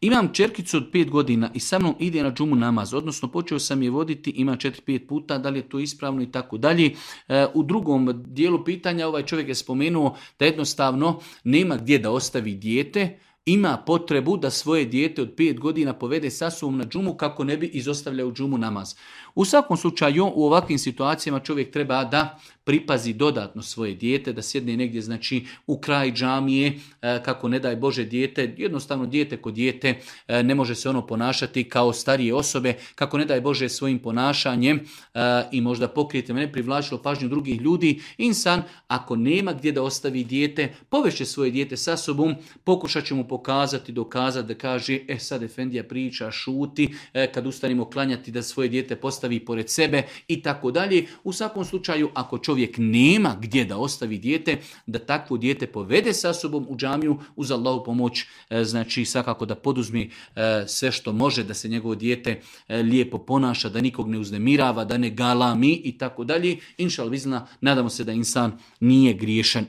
Imam čerkicu od 5 godina i sa mnom ide na džumu namaz, odnosno počeo sam je voditi, ima 4-5 puta, da li je to ispravno i tako dalje. U drugom dijelu pitanja ovaj čovjek je spomenuo da jednostavno nema gdje da ostavi dijete, ima potrebu da svoje dijete od 5 godina povede sa sobom na džumu kako ne bi izostavljao džumu namaz. U svakom slučaju u ovakvim situacijama čovjek treba da pripazi dodatno svoje dijete, da sjedne negdje znači u kraj džamije, kako ne daj Bože dijete, jednostavno dijete kod dijete, ne može se ono ponašati kao starije osobe, kako ne daj Bože svojim ponašanjem i možda pokrijete ne privlačilo pažnju drugih ljudi. Insan ako nema gdje da ostavi dijete, povešće svoje dijete sa sobom, pokušat će mu pokazati, dokazati da kaže sad efendija priča, šuti, kad ustanimo klanjati da svoje dijete postavi pored sebe i tako dalje. U svakom slučaju ako čovjek nema gdje da ostavi dijete, da takvo dijete povede sa sobom u džamiju uz Allahu pomoć, znači svakako da poduzme sve što može da se njegovo dijete lijepo ponaša, da nikog ne uznemirava, da ne galami i tako dalje. Inšal bizna, nadamo se da insan nije griješan.